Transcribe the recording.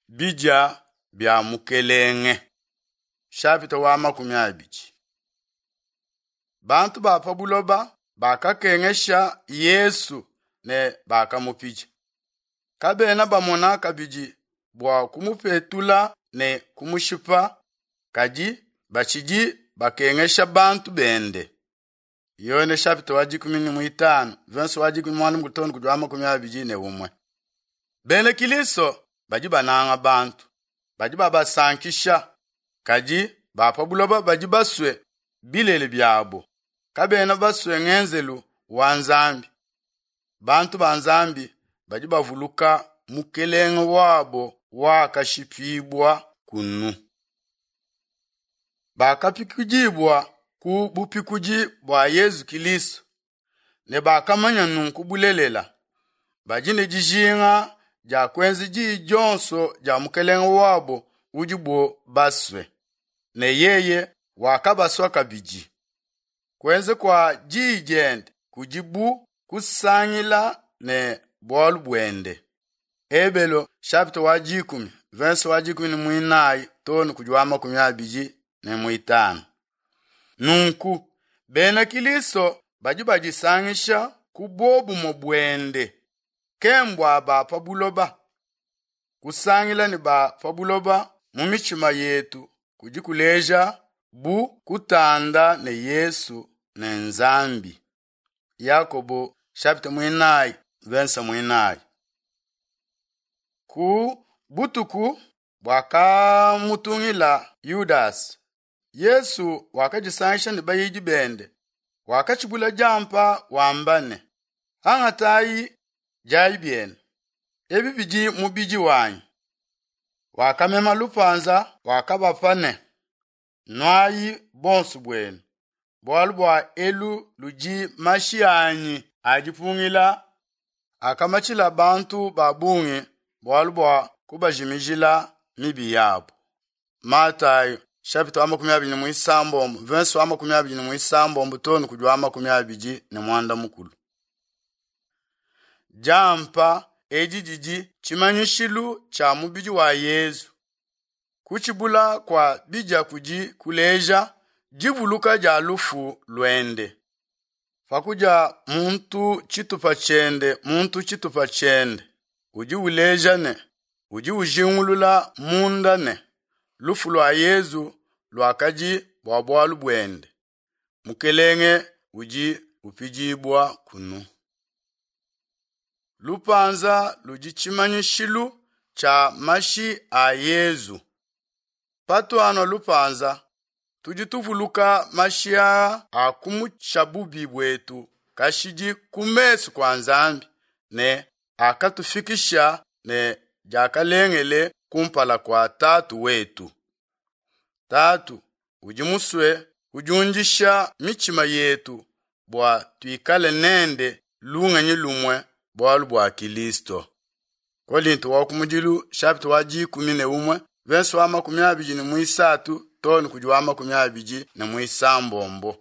Bidia bia Mukelenge shapita wa 20. Bantu ba pa buloba bakakengesha Yesu ne bakamupidia. Kabena bamona kabidi bua kumupetula ne kumushipa, kadi batshidi bakengesha bantu bende. Yone chapitre wa 15 verse wa 11 Bena Kilisto badi bananga bantu, badi babasankisha, kadi ba pa buloba badi basue bilele biabo, kabena basue ngenzelu wa Nzambi. Bantu ba Nzambi badi bavuluka mukelenge wabo wakashipibua kunu. Bakapikudibua ku bupikudi bua Yezu Kilisto ne bakamanya nunku bulelela. Badi ne dijinga dia kuenza diyi dionso dia mukelenge wabo udibo basue, ne yeye wakabasua kabidi. Kuenza kua diyi diende kudi bu kusangila ne bualu buende. Ebelo chapitre wa 10 verse wa 14 too ne kudi wa 25. Nunku bena Kilisto badi badisangisha ku buobumue buende, ke mbua ba pa buloba. Kusangila ne ba pa buloba mu mitshima yetu kudi kuleja bu kutanda ne Yesu ne Nzambi. Yakobo chapitre 4 verse 4. Ku butuku buakamutungila Yudasi, Yesu wakadisangisha ne bayidi bende, wakatshibula diampa wamba ne, Angatayi diayi bienu, ebi bidi mubidi wanyi. Wakamema lupanza wakabapa ne, Nuayi bonso buenu, bualu bua elu ludi mashi anyi a dipungila akamatshila bantu ba bungi bualu bua kubajimijila mibi yabo. Matayo chapitre wa 26 verse wa 26 too ne kudi wa 24. Diampa edi didi tshimanyishilu tshia mubidi wa Yezu. Kutshibula kua bidia kudi kuleja divuluka dia lufu luende. Pakudia muntu tshitupa tshiende muntu tshitupa tshiende, udi uleja ne udi ujingulula munda ne lufu lua Yezu luakadi bua bualu buende. Mukelenge udi upidibua kunu. Lupanza ludi tshimanyishilu tshia mashi a Yezu. Patuanua lupanza, tudi tuvuluka mashi aa a kumutsha bubi buetu kashidi ku mesu kua Nzambi ne akatufikisha ne diakalengele kumpala kua Tatu wetu. Tatu udi musue kudiundisha mitshima yetu bua tuikale nende lungenyi lumue bualu bua Kilisto. Kolinto wa kumudilu chapitre wa 11 verse wa 23 too ne kudi wa 26.